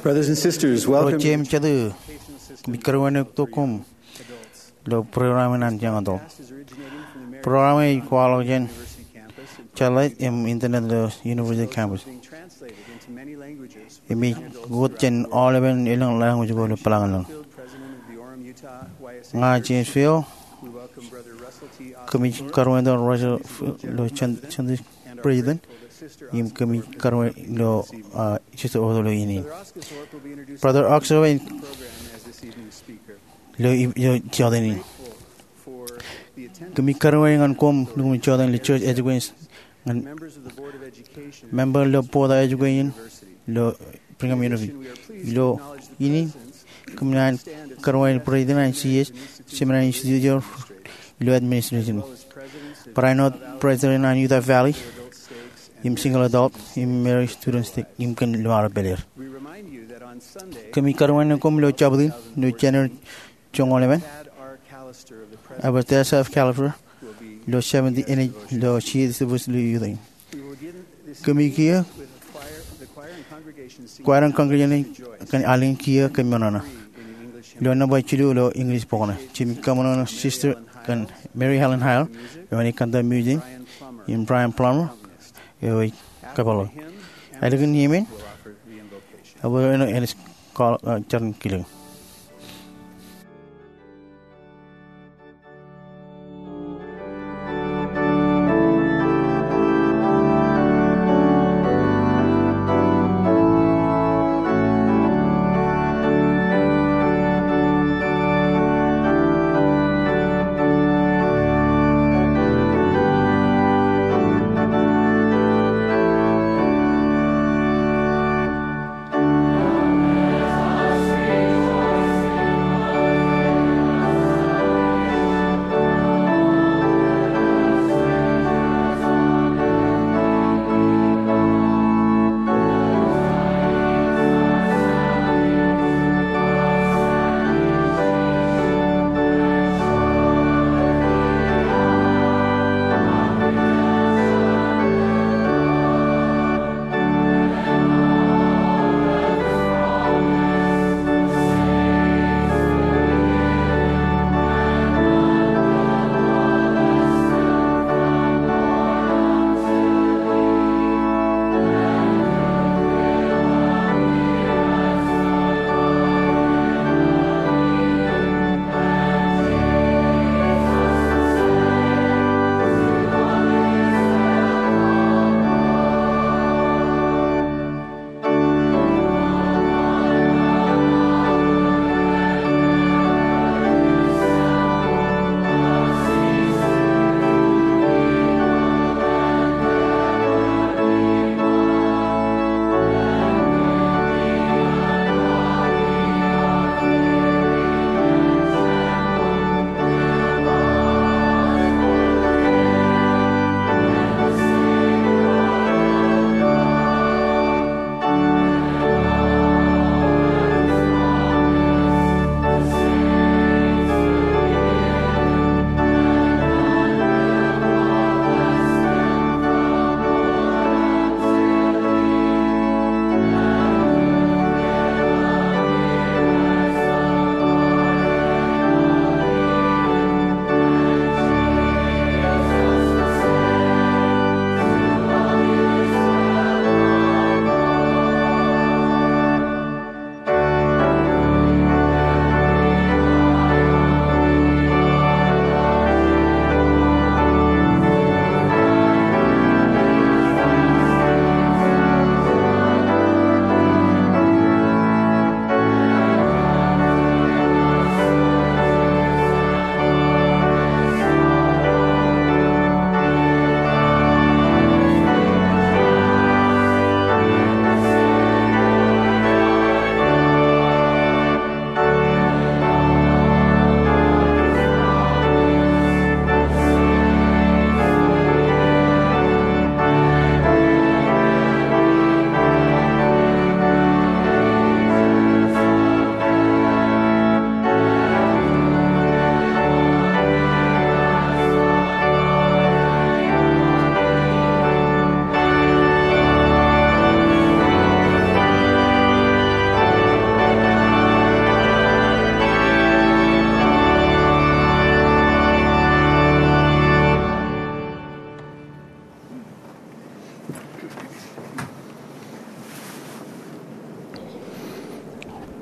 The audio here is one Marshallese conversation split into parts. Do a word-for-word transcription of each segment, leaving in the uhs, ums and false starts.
Brothers and sisters, welcome to the Educational Assistance Program for Adults. Ro ijjab jet, ilo program in an jañin adult. Program eo ej kwaḷọk jān satellite im internet ilo university campus. Im ej wōt jān aolepen elōñ language ko ilo Pelañlōñ. Ña James Feo, kōmij karuwaintok Russell ilo Sunday president, im kōmij karuwaintok, ah, Sister Otto ilo iien in. Brother Oxo eo ej ilo, ilo jota in. Kōmij karuwaintok ñan koṃ lukkuun jota ilo church education ñan member ilo board of education ilo Brigham Young University. Ilo iien in, kōmij karuwaintok president eo an C S, seminary institute eo, ilo administration. Barāinwōt president eo an Utah Valley, im single adult, im Mary Student Stake, im kōn ḷōṃaro pād er. Kōmij karuwaintok koṃ ilo Jabōt in, ilo January joñoul emān, Abbot Teresa of Callister, ilo seventy, enaaj ilo C S Campus ilo Utah in. Kōmij kiiō, choir and congregation kōn alen kiiō kōn ṃōṇōṇō ilo nōṃba jilu ilo English bok ṇe. Jimij kaṃōṇōṇō sister kōn Mary Helen Hale, eo enaaj kōnda music, im Brian Plummer, eo ej kōpeḷḷọk. Ālikin hymn in, Abbot Eno enaaj kwaḷọk, ah, jar in kilōk.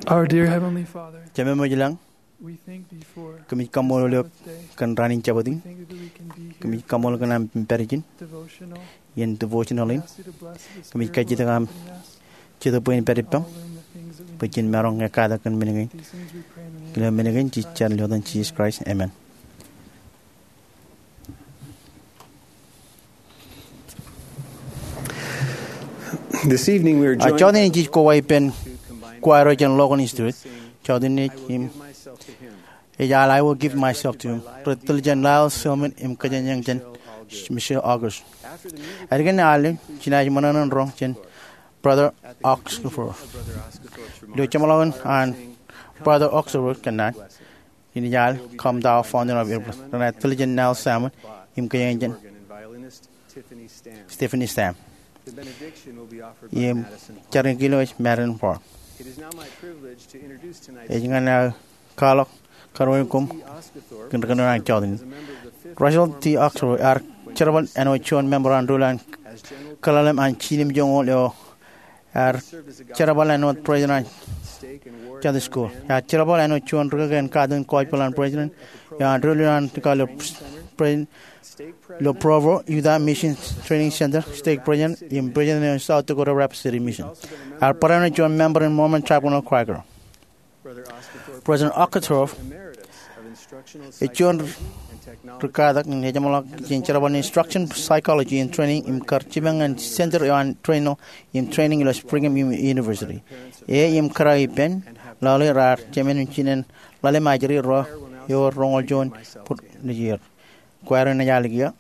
Our dear Heavenly Father, Jemem eo ilañ, we thank thee for kōmij kaṃṃoolol eok kōn raan in Jabōt in. We thank thee that we can be here Kōmij kaṃṃoolol kōn aṃ pād ijin devotional, iien devotional in. Ask thee to bless this Kōmij prayer kajjitōk aṃ opening us. Jetōb bwe in pād ippaṃ, All in the things that we bwe jen maroñ ekkatak kōn men kein. These things we pray in the name Kile men kein jej jar ilo etan Jisōs Kraist. Amen. This evening we are A joined jọteen in jej koba ippān choir eo jān Logan Institute. Jọteen in im ej al I Will Give Myself to Him. Rej tōl jān Lyle Selman im kōjeañ jān Michelle August. Ālikin al im jenaaj ṃōṇōṇō in roñ jān Brother Oxenford. Ilo jeṃḷọkin an Brother Oxenford kōnnaan, jenaaj al Come Thou Fount of Every Blessing. Renaaj tōl jān Lyle Selman im kōjeañ jān Stephanie Stamm. Im jar in kilo ej Madison Park. Ej ñan aō kwaḷọk karuwainene koṃ kōn ri-kōnono an jọteen in. Russell T. Oxenford ear jerbal āinwōt juon member an ri-ruḷ an Kilalem an Jiljilimjuonñoul eo ear jerbal āinwōt president an Jọteen School. Ear jerbal āinwōt juon rikaki in Katakin Gospel an President eo an ri-ruḷ an Katakin ilo Provo Utah Mission Training Center, stake president im president eo an South Dakota Rapid City Mission. Ear barāinwōt juon member in Mormon Tribe Renewal Choir. President Oxenford ej juon rikatak in ejeṃḷọk jān jerbal in Instruction, Psychology and Training im kar jipañ ñan center eo an training im training ilo Brigham Young University. E im kōrā ippān, lale raar jemān im jinen ḷalem ajri ro ewōr roñoul juon bōd nejier. Choir in ej al kiiō.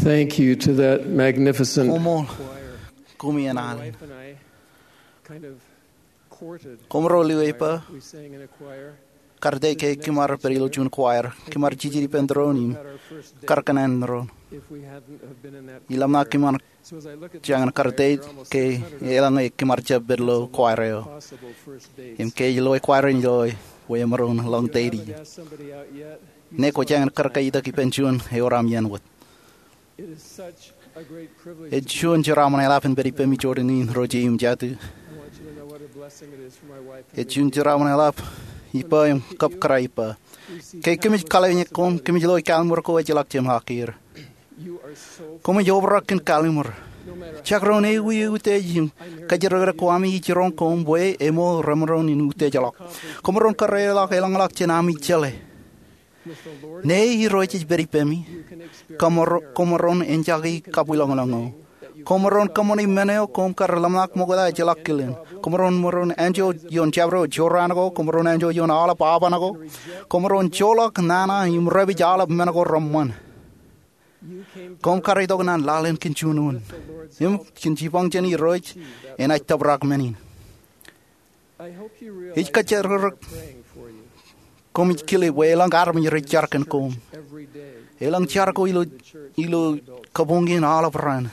Thank you to that magnificent Koṃṃool, choir. Koṃi en alen. My wife and I kind of courted Koṃro lewōj bwe we sang in a choir. Kar date ke kōm ar pād ilo juon choir, kōm ar jijet ippān doon im kar kōṇaan doon. If we hadn't have been in that choir. Im ḷōmṇak kōm ar So as I look at these jañin kar date guys, they're almost ke six hundred eḷaññe kōm ar jab pād ilo choir eo. Possible first dates. Im ke ilo choir in ilo bwe emaroñ ḷọk date. You haven't asked somebody out yet? Ṇe kwō jañin kar kaitok ippān juon eo raṃ iien wōt. It is such a great privilege Ej to be juon jeraaṃṃan eḷap in pād ippemi Jordan in ro jeim jatū. I want you to know what a blessing it is for my wife and Ej me juon to be jeraaṃṃan eḷap ippa im kab kōrā ippa. Ke kōmij kallimjek koṃ, kōmij lo kalliṃur ko ejjeḷọk jemākier. Koṃij obrak kōn kalliṃur. Jekdọọn ewi utiej im kōjatdikdik ko ami, ij jiroñ koṃ bwe eṃool remaroñ in utiejḷọk. Koṃaroñ kōrā ḷọk eḷañḷọk jān ami jeḷā. Ṇe Irooj ej pād ippemi, koṃar-, koṃaroñ enjake kabwilōñlōñ eo. Koṃaroñ kōṃṃane men eo koṃ kar ḷōmṇak ṃokta ejjeḷọk kilen. Koṃaroñ, maroñ enjeḷ ioon jabdewōt jorrāān ko, koṃaroñ enjeḷ ioon aolep aban ko. Koṃaroñ joḷọk nana im dāpij aolep men ko reṃṃan. Koṃ kar itok naan laḷ in kōn juon wōt. Im kōn jipañ jān Irooj enaaj tōprak men in. Ij kōjatdikdik koṃij kile bwe elōñ armej rej jar kōn koṃ. Elōñ jar ko ilo, ilo kabuñ in aolep raan.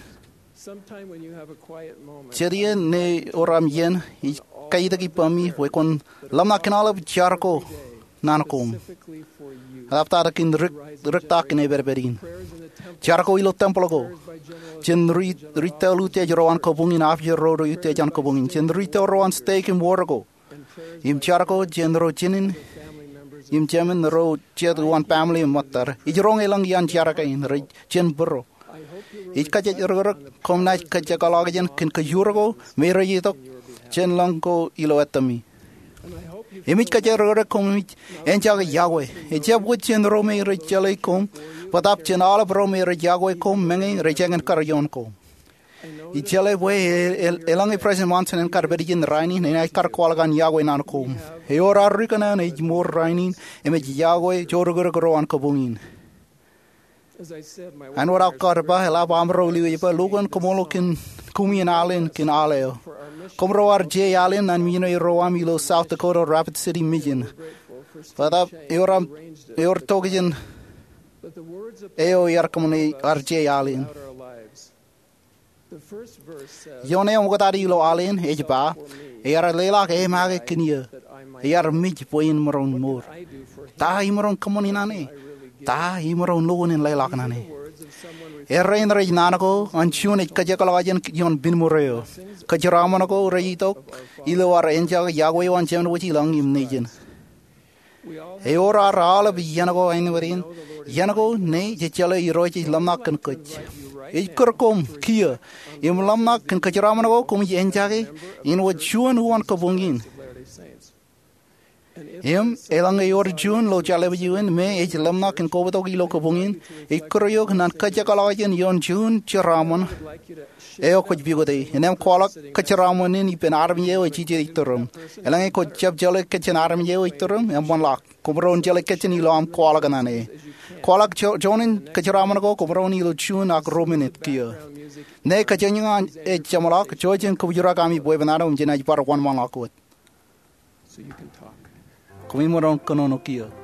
Jet iien ṇe ewōr aṃ iien, ij kaitok ippemi bwe kwōn ḷōmṇak kōn aolep jar ko naan koṃ. Eḷaptata kōn dik, diktak in epedped in. Jar ko ilo tempel ko. Jān ri, ri tōl utiej ro an kabuñ in, apier ro ro utiej an kabuñ in. Jān ri tōl ro an stek im wōr ko. Im jar ko jān ro jinen im jemān ro jet uwaan family im ṃōttad. Ij roñ elōñ iaan jar kein rej jān būruo. Ij kōjatdikdik koṃ naaj kōjekḷọk jān kōn kōjur ko me rej itok jān lōñ ko ilo ettami. Im ij kōjatdikdik koṃij enjake yokwe. Ejjab wōt jān ro me rej jeḷā koṃ, bōtaab jān aolep ro me rej yokwe koṃ meñe rej jañin kar ioon koṃ. Ij jeḷā bwe e, e, eḷaññe President Monson en kar pād ijin rainin, enaaj kar kwaḷọk an yokwe naan koṃ. Ewōr ad ri kōṇaan ej mour rainin im ej yokwe jodikdik ro an kabuñ in. Āinwōt aō kar ba, eḷap amro lewōj bwe lo kōn koṃṃool kōn koṃi in alen kōn al eo. Koṃro ar je alen ñan missionary ro aṃ ilo South Dakota Rapid City Mission. Bōtaab ewōr aṃ, ewōr tokjān eo iar kōṃṃane ar je alen. Ioon eṃōkaj ilo alen ej ba, iar leḷọk e make kōn eō, iar mej bwe in maroñ mour. Ta imaroñ kōṃṃani naan e? Ta imaroñ lukkuun in leḷọk naan e? Errein rej naan ko an juon ej kōjekḷọk jān ioon pineṃur eo. Kōjeraaṃṃan ko rej itok ilo ad enjake yokwe eo an Jemān Wōj Ilọñ im Nejin. Ewōr ad aolep iien ko āinwōt in, iien ko ṇe jej jeḷā Irooj ej ḷōmṇak kōn kōj. Ej kūr koṃ kiiō im ḷōmṇak kōn kōjeraaṃṃan ko koṃij enjake āinwōt juon uwaan kabuñ in. Im eḷaññe ewōr juon ilo jeḷā eo in me ej ḷōmṇak kōn kobatok ilo kabuñ in, ij kūr eok ñan kōjekḷọk jān ioon juon jeraaṃṃan eo kwōj pukot e. Innām kwaḷọk kōjeraaṃṃan in ippān armej eo ej jijet ituruṃ. Eḷaññe kwōj jab jeḷā kōjjān armej eo ej ituruṃ, eṃṃanḷọk. Koṃaroñ jeḷā kōjjān ilo aṃ kwaḷọk naan e. Kwaḷọk jo-, joñan kōjeraaṃṃan ko, koṃaroñ ilo juon ak ruo minit kiiō. Ṇe kōjeñjeñ ej jeṃḷọk, jouj im kōbōjrak ami bwebwenato im jenaaj bar wōnṃaanḷọk wōt. Koṃi maroñ kōnono kiiō.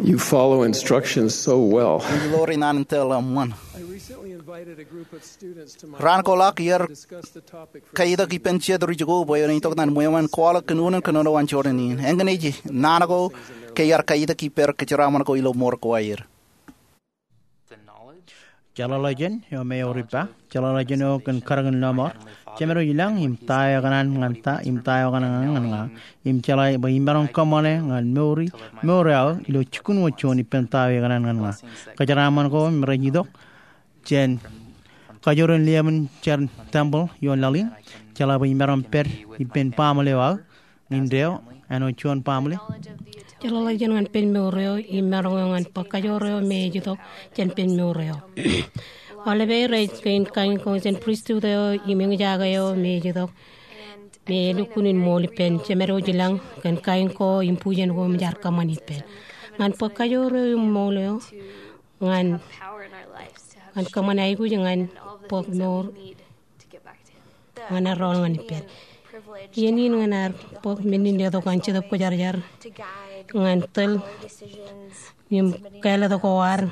You follow instructions so well. Ij ḷoori naan in tōl eṃṃan. I recently invited a group of students to my Raan ko ḷọk iar to discuss the topic for kajitok ippān jet ri jikuuḷ bwe en itok naan ṃweo eṃṃan kwaḷọk kōn unin kōnono an jorrāān in. Eñin ej naan ko ke iar kajitok ippād kōjeraaṃṃan ko ilo ṃoor ko aer. Jeḷāḷọkjeṇ eo me eor ippa, jeḷāḷọkjeṇ eo kōn karōk in lọmọọr. Jemād eo ilañ im ta eo ekōṇaan ñan ta, im ta eo ekōṇaan ñan ña. Im jeḷā bwe imaroñ kōṃṃane ñan mour eo, mour eo aō ilo jikin wōt juon ippān ta eo ekōṇaan ñan ña. Kōjeraaṃṃan ko im rej itok jān kajoor in liemān jar temple ioon laḷ in, jeḷā bwe imaroñ pād ippān baaṃle eo aō, indeeo, āinwōt juon baaṃle. Jeḷāḷọkjeṇ ñan pen mour eo, im maroñ eo ñan bōk kajoor eo me ej itok jān pen mour eo. Aolep er rej kein kain ko jān pristut eo, im eñjake eo me ej itok, me elukkuun in ṃool ippān, jemād eo ilañ, kōn kain ko, im bujen ko, im jaar kōṃṃan ippān. Ñan bōk kajoor eo im ṃool eo, ñan, ñan kōṃṃan aikuj, ñan bōk mour, ñan ar rool ñan ippād. Iien in ñan ar bōk men in letok an Jetōb Kwōjarjar ñan tōl im kāālōt ko ad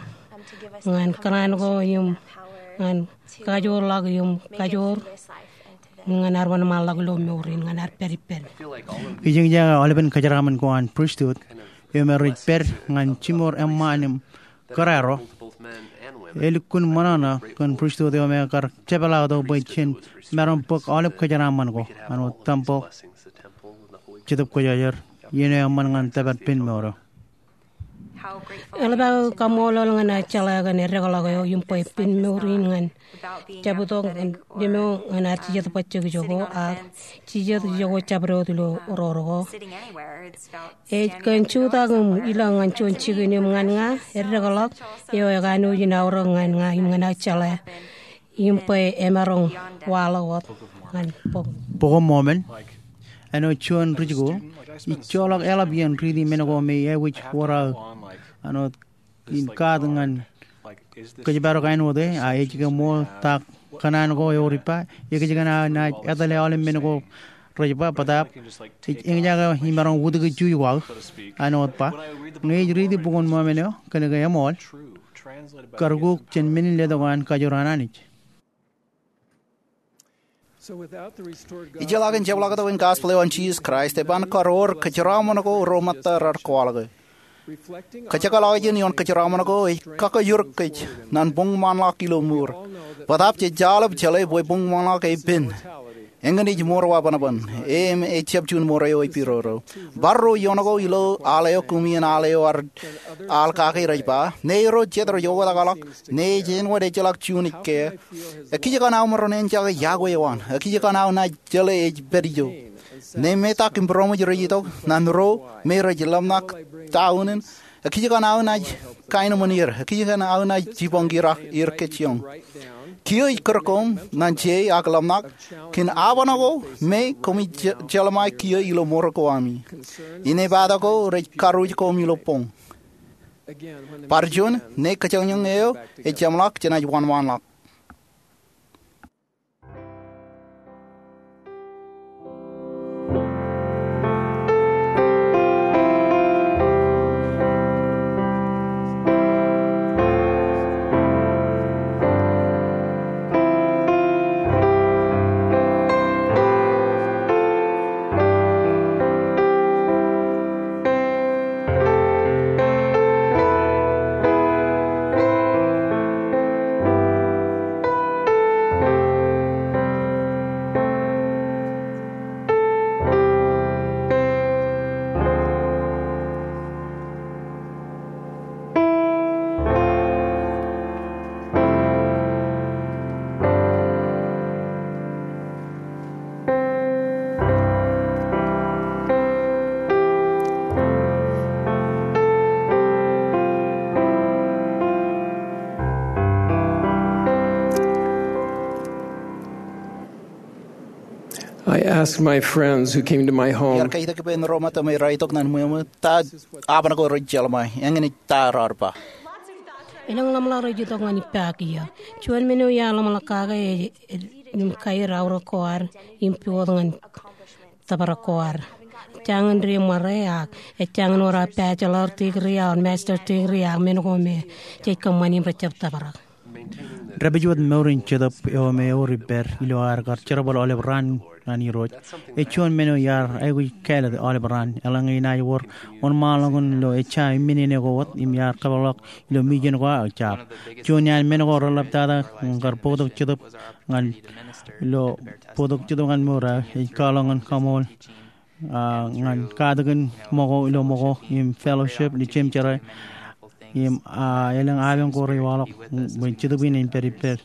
ñan kōṇaan ko im ñan kajoorḷọk im kajoor ñan ar wōnṃaanḷọk ilo mour in ñan ar pād ippād. Ij eñjake aolepen kōjeraaṃṃan ko an pristut eo me rej pād ñan jiṃor eṃṃaan im kōrā ro. Elukkuun ṃōṇōṇō kōn pristut eo me kar jepḷaaktok bwe jen maroñ bōk aolep kōjeraaṃṃan ko, āinwōt temple, Jetōb Kwōjarjar, iien eo eṃṃan ñan tōpar pen mour eo. Eḷap aō kaṃṃoolol ñan aō jeḷā kōn eddekḷọk eo im bwe pen mour in ñan jab itok ñan lemo ñan ad jijet bajjek ijoko, ak jijet ijoko jabdewōt ilo roro ko. Ej kōn jutak im ilọk ñan juon jikin im ñan ña, eddekḷọk eo ekanooj in aorōk ñan ña im ñan aō jeḷā im bwe emaroñ waḷọk wōt ñan bok. Bok in Mōmon, āinwōt juon ri jikuuḷ, ij joḷọk eḷap iien riiti men ko me ewōr aō, āinwōt in kaat ñan kōjparok āinwōt e, a ej ke ṃool ta kōṇaan ko eor ippa, ekōjkan aō naaj etale aolep men ko rej ba, bōtaab ej eñjake imaroñ wūtiki juj ko aō, āinwōt ba. Ñe ij riiti bok in Mōmon eo, kōnke eṃool, kar kuk jān men in letok an kajoor an Anij. Ijellọkin jepḷaaktok in gospel eo an Jisōs Kraist, eban kar wōr kōjeraaṃṃan ko ro ṃōtta raar kwaḷọke. Kōjekḷọkjeṇ ioon kōjeraaṃṃan ko ej kakōjor kōj ñan boñṃaanḷọk ilo mour. Bōtaab jej aolep jeḷā bwe boñṃaanḷọk epen. Eñin ej mour wabōnbōn. Im ejjab juon mour eo epidodo. Bar ro ioon ko ilo al eo koṃ iien al eo ad al kake rej ba, ñe ro jet rej oktakḷọk, ñe ej āinwōt ejjeḷọk juon ej ke. Ekijjeen aō maroñ eñjake iọkwe eo an. Ekijjeen aō naaj jeḷā ej pād ijo. Ñe metak im būroṃōj rej itok ñan ro me rej ḷōmṇak ta unin, ekijjeen aō naaj kaenōṃṃan er. Ekijjeen aō naaj jipañ er kōjjioñ. Kiiō ij kūr koṃ ñan je ak ḷōmṇak kōn aoban ko me koṃij je-, jeḷā ṃae kiiō ilo mour ko ami. Inepata ko rej karuj koṃ ilo boñ. Bar juon, ñe kōjañjañ eo ej jeṃḷọk, jenaaj wōnṃaanḷọk. I asked my friends who came to my home. Iar kajitok ippān ro ṃōtta me raar itok ñan ṃweo eo, ta aoban ko rej jeḷā ṃae, eñin ej ta raar ba. Elōñ ḷōmṇak rej itok ñan ippa kiiō. Juon men eo iar ḷōmṇak kake ej, ej, im kaer aorōk ko ad, im pukot ñan tōprak ko ad. Ejjañin ri ṃōrā ak ejjañin wōr aō bachelor degree or master degree ak men ko me jej kōṃṃani im rejjab tōprak. Dāpij wōt mour in Jetōb eo me ewōr ippād ilo aer kar jerbal aolep raan ñan Irooj. Ej juon men eo iar aikuj kāālōt aolep raan. Eḷaññe enaaj wōr wōnṃaanḷọk in lo ejja iminene ko wōt im iar kōpeḷḷọk ilo mission ko aō jab. Juon iaan men ko reḷaptata ñan kar bōktok Jetōb ñan, ilo bōktok Jetōb ñan mour aō ej kwaḷọk ñan kaṃool ñan katakin ṃōko ilo ṃōko im fellowship ilo jeṃjerā im elōñ apañ ko rewaḷọk bwe Jetōb in en pād ippād.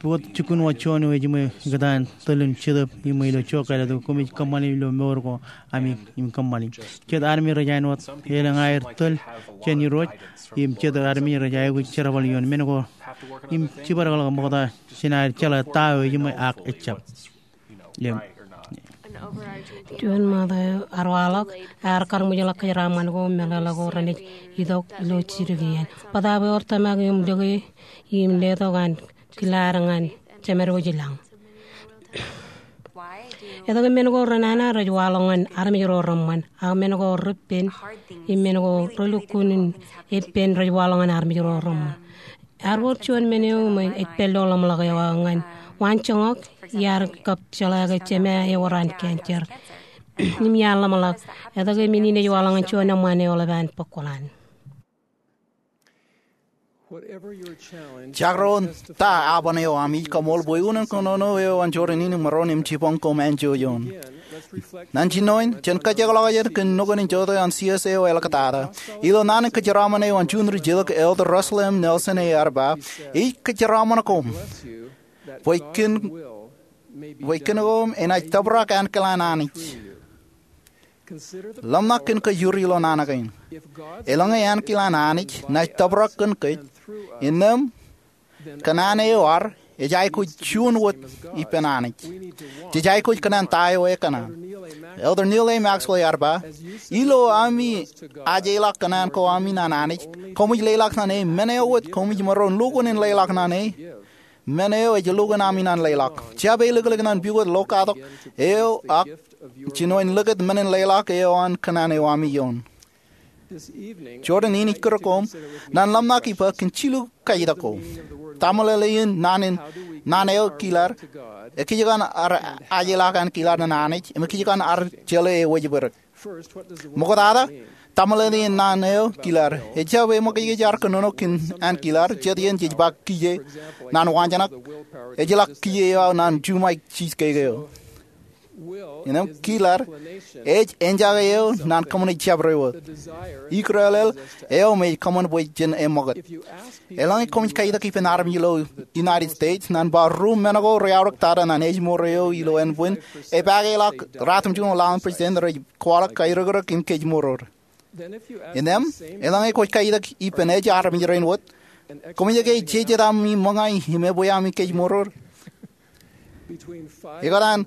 Bōktok jikin wōt juon eo ejiṃwe kōtaan tōl in Jetōb iṃwe ilo jokālōt ko koṃij kōṃṃani ilo mour ko ami im kōṃṃani. Jet armej rej āinwōt elōñ aer tōl jān Irooj im jet armej rej aikuj jerbal ioon men ko im jibadekḷọk ṃokta jān aer jeḷā ta eo ejiṃwe ak ejjab. Juon ṃokta eo ear waḷọk, ear kar ṃōjḷọk kōjeraṃṃan ko meḷeḷe ko renaaj itok ilo jidik iien. Bōtaab ewōr tōmak im lōke im letok an kilaad ñan jemed ko jilañ. Etke men ko renana rej waḷọk ñan armej ro reṃṃan ak men ko repen im men ko relukkuun in epen rej waḷọk ñan armej ro reṃṃan? Ear wōr juon men eo me ej pād ilo ḷōmṇak eo aō ñan waanjoñak iar kab jeḷā ke jema eo ewōr an cancer im iar ḷōmṇak etke men in ej waḷọk ñan juon eṃṃan eo eḷap an bōk kuḷan. Jakrōn ta aban eo aṃ, ij kaṃool bwe unin kōnono eo an jorrāān in maroñ im jibañ koṃ anjọ ioon. Ñan jinoin, jen kōjekḷọk aer kōn nukun in jotein an C S A eo āliktata. Ilo naan in kōjeraṃṃan eo an juon ri-jilōk, Elder Russell M. Nelson ear ba, ij kōjeraṃṃan koṃ bwe kōn, bwe kōn koṃ enaaj tōprak ankilaan Anij. Ḷōmṇak kōn kōjuri ilo naan kein. Eḷaññe ankilaan Anij naaj tōprak kōn kōj, innām kōṇaan eo ad ej aikuj juon wōt ippān Anij. Jej aikuj kōṇaan ta eo ekōṇaan. Elder Neal A. Maxwell ear ba, ilo ami ajeḷọk kōṇaan ko ami ñan Anij, koṃij leḷọk ñan e men eo wōt koṃij maroñ lukkuun in leḷọk ñan e. Men eo ej lukkuun ami ñan leḷọk. Jab elōklōk ñan pukot lokatok eo ak jinoin likūt men in leḷọk eo an kōṇaan eo ami ioon. Jorrāān in ij kūr koṃ ñan ḷōmṇak ippān kōn jilu kajitak ko. Taṃōḷeḷein naan in, naan eo kilaad, ekijjien ar ajeḷọk ankilaad ñan Anij, im ekijjien ar jeḷā e wōjbōdik. Ṃoktata, taṃōḷeḷein naan eo kilaad. Ejjab eṃōkaj ke jaar kōnono kōn ankilaad, jet iien jej ba kiiō. Naan waanjoñak, ejjeḷọk kiiō eo aō naan juṃae jiskeke eo. Innām kilaad, ej enjake eo naan kōṃṃane jabdewōt. Ikdeḷeḷ eo me ej kōṃṃan bwe jen eṃṃakūt. Eḷaññe koṃij kajitak ippān armej ilo United States ñan ba ruo men ko reaorōk tata ñan ājmour eo ilo ānbwin, epaake ḷọk ratimjuon ḷalem president rej kwaḷọk kaerōkrōk im kōjmour. Innām, eḷaññe kwōj kajitak ippān ej armej rein wōt, koṃij ke jejet ami ṃōñā im ebwe ami kōjmour? Ikōtaan,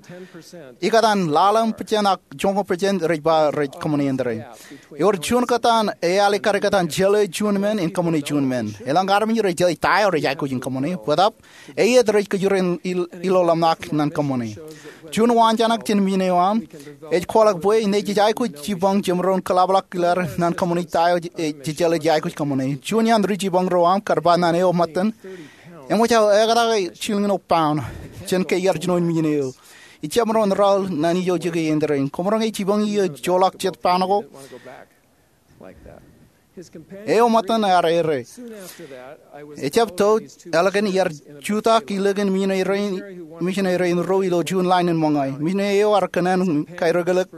ikōtaan ḷalem percent ak joñoul percent rej ba rej kōṃṃane āindein. Ewōr juon kōtaan ealikkar ikōtaan jeḷā juon men in kōṃṃane juon men. Elōñ armej rej jeḷā ta eo rej aikuj in kōṃṃane, bōtaab eiet rej kōjro in il-, ilo ḷōmṇak ñan kōṃṃane. Juon waanjoñak jān men eo aṃ ej kwaḷọk bwe ñe jej aikuj jibañ jemaroñ kōḷapḷọk kilaad ñan kōṃṃane ta eo jej, jej jeḷā jej aikuj kōṃṃane. Juon iaan ri-jibañ ro aṃ kar ba ñan eo ṃōttan, eṃōj aō ektakḷọk jilñoul pound jān ke iar jinoin mission eo. Ij jab maroñ rael ñan ijo jeke āindein. Koṃ roñe jibañ iiō joḷọk jet pound ko? Eo ṃōttan ear errā. Ejjab to, ālikin iar jutak ilōkin misineri, misineri in ruo ilo juon line in ṃōñā. Misineri eo ear kōṇaan kaerōkrōk,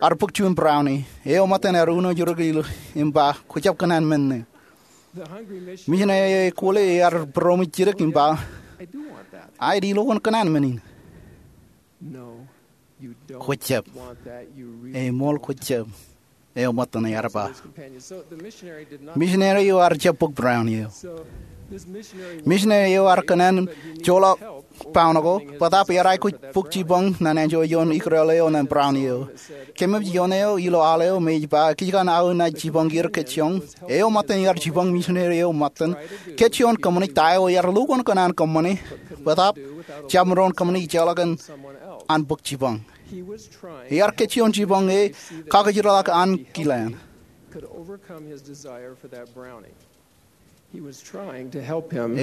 ear bōk juon brownie. Eo ṃōttan ear uno jidik ilo im ba, kwōjab kōṇaan men ṇe. Misineri eo ekwōle ear būroṃōj jidik im ba, aet, ilo kwōn kōṇaan men in. Kwōjab. Eṃool kwōjab. Eo ṃōttan ear ba. Misineri eo ear jab bōk brownie eo. Misineri eo ear kōṇaan joḷọk pound ko, bōtaab ear aikuj bōk jibañ ñan anjọ ioon ikdeḷeḷ eo ñan brownie eo. Kōmij ioon eo ilo al eo me ej ba, ekijjien aō naaj jibañ er kōjjoñ. Eo ṃōttan ear jibañ misineri eo ṃōttan kōjjoñ kōṃṃane ta eo ear lukkuun kōṇaan kōṃṃane, bōtaab jab maroñ kōṃṃane ijellọkin an bōk jibañ. Ear kōjjuon jibōñ e kakijirḷọk Ankilan.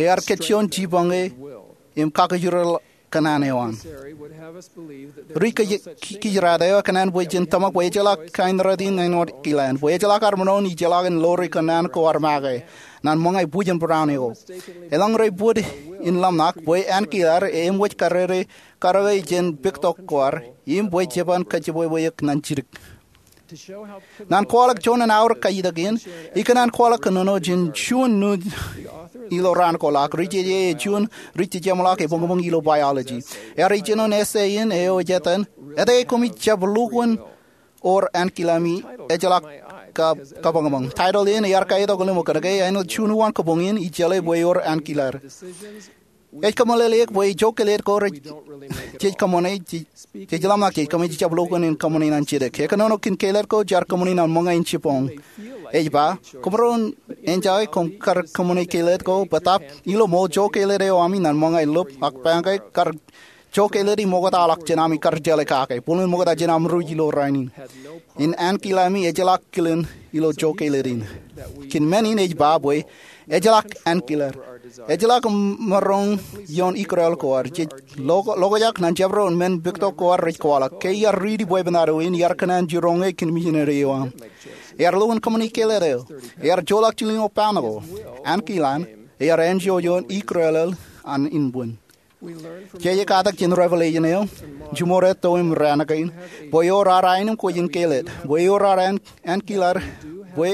Ear kōjjuon jibōñ e im kakijirḷọk kōṇaan eo an. Ri kōj-, ki-, kijirata eo ekōṇaan bwe jen tōmak bwe ejjeḷọk kain rot in āinwōt Ankilan, bwe ejjeḷọk armej in ijjeḷọk in ḷoori kōṇaan ko ar make ñan ṃōñā ibwijen Brown eo. Elōñ rej bōd in ḷōmṇak bwe Ankilar eṃōj karere karuo jān pektok ko ad im bwe jeban kōjjepwepwe eok ñan jidik. Ñan kwaḷọk juon an aorōk kajjitōk in, ikōṇaan kwaḷọk kōnono jān juon nuuj ilo raan ko ḷọk. Ri jeje ej juon ri jejeṃḷọk ebōñbōñ ilo biology. Ear ijjino essay in eo ej etan, Etke koṃij jab lukkuun wōr Ankilami ejjeḷọk ka-, kabōñbōñ? Title in ear kaetok ḷōṃok kōnke āinwōt juon uwaan kōbōñ in, ij jeḷā bwe ewōr Ankilar. Ej kōmeḷeḷeik bwe ijo kōlōt ko rej, jej kōṃṃane, jej, jej ḷōmṇak jej kōmij jab lukkuun in kōṃṃane ñan jidik. Ekōnono kōn kōlōt ko jaar kōṃṃane ñan ṃōñā in jibboñ. Ej ba, koṃaroñ enjoy koṃ kar kōṃṃane kōlōt ko, bōtaab ilo ṃool ijo kōlōt eo ami ñan ṃōñā in lōb ak baañke kar ijo kōlōt im oktaḷọk jān ami kar jeḷā kake. Bōlen ṃokta jān aṃ ruj ilo rainin. In Ankilami ejjeḷọk kilen ilo ijo kōlōt in. Kōn men in ej ba bwe ejjeḷọk Ankilar. Ejjeḷọk maroñ ioon ikrel ko ad. Jej lo-, lokaak ñan jabdewōt men pektok ko ad rej kwaḷọk. Ke iar riiti bwebwenato in, iar kōṇaan jiroñ e kōn misineri eo aṃ. Ear lukkuun kōṃṃane kōlōt eo. Ear joḷọk jilkinḷọk baaṃle ko. Ankilan, ear āinjuon ikrel an inbwin. Jej katak jān Revelation eo, jiṃor etto im raan kein, bwe ewōr ad aenōṃ kwōj in kōlōt, bwe ewōr ad An-, Ankilar, bwe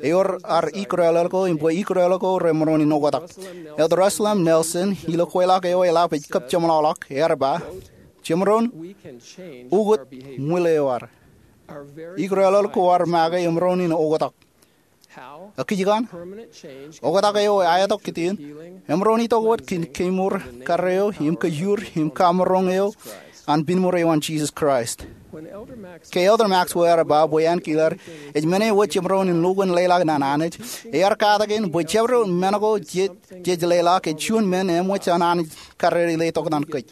ewōr ad ikrel ko, im bwe ikrel ko remaroñ in oktak. Elder Russell M. Nelson, ilo kweilọk eo eḷap ej kab jeṃḷọkḷọk, ear ba, jemaroñ ukōt ṃwilaḷ eo ad. Ikrel ko ad make emaroñ in oktak. Ak kij kaṇ? Oktak eo aetok kōtien, emaroñ itok wōt kōn kemour karreo im kōjur im kamaroñ eo an pinṃur eo an Jisōs Kraist. Ke Elder Maxwell ear ba bwe Ankilar ej men eo wōt jemaroñ in lukkuun leḷọk ñan Anij, ear katak in bwe jabdewōt men ko jej, jej leḷọk ej juon men eṃōj an Anij karreri letok ñan kōj.